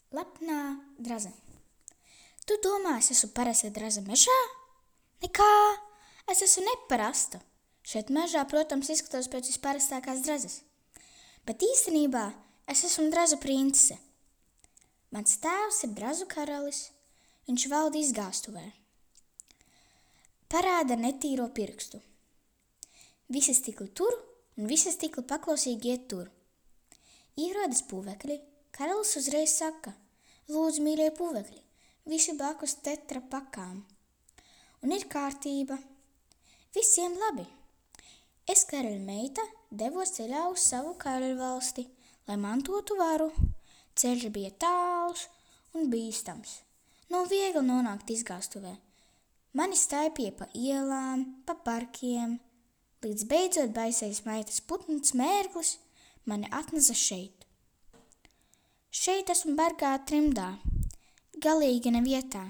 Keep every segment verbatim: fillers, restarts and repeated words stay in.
Lepnā draze. Tu domā, es esmu parasta draze mežā? Nekā, es esmu neparasta. Šeit mežā, protams, izskatos pēc visparastākās drazes. Bet īstenībā es esmu drazu princese. Mans tēvs ir drazu karalis, viņš valda izgāstuvē. Parāda netīro pirkstu. Visi stikli tur un visi stikli paklausīgi iet tur. Ierodas puvekļi, karalis uzreiz saka: lūdzu, mīļie puvekļi, visi blakus tetra pakām. Un ir kārtība. Visiem labi. Es, karaļa meita, devos ceļā uz savu karaļvalsti, lai mantotu varu. Ceļš bija tāls un bīstams. Nav viegli nonākt izgāstuvē. Mani staipīja pa ielām, pa parkiem, līdz beidzot baisais maitas putns mērglis mani atnesa šeit. Šeit esmu bargā trimdā, galīgi nevietā,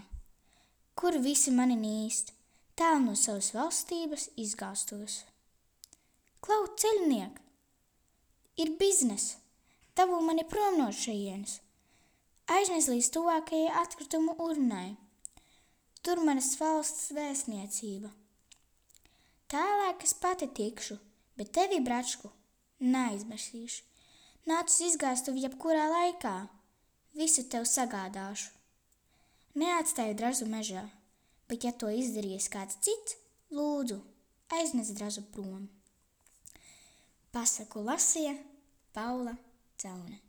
kur visi mani nīst, tālu no savas valstības izgāstuves. Klau, ceļniek, ir biznes, dabū mani prom no šejienes, aiznes līdz tuvākajai atkritumu urnai, tur manas valsts vēstniecība. Tālāk es pati tikšu, bet tevi, bračku, neaizmirsīšu. Nāc uz izgāstuvi jebkurā laikā, visu tev sagādāšu. Neatstāju drazu mežā, bet ja to izdarījis kāds cits, lūdzu, aiznes drazu prom. Pasaku lasīja Paula Celne.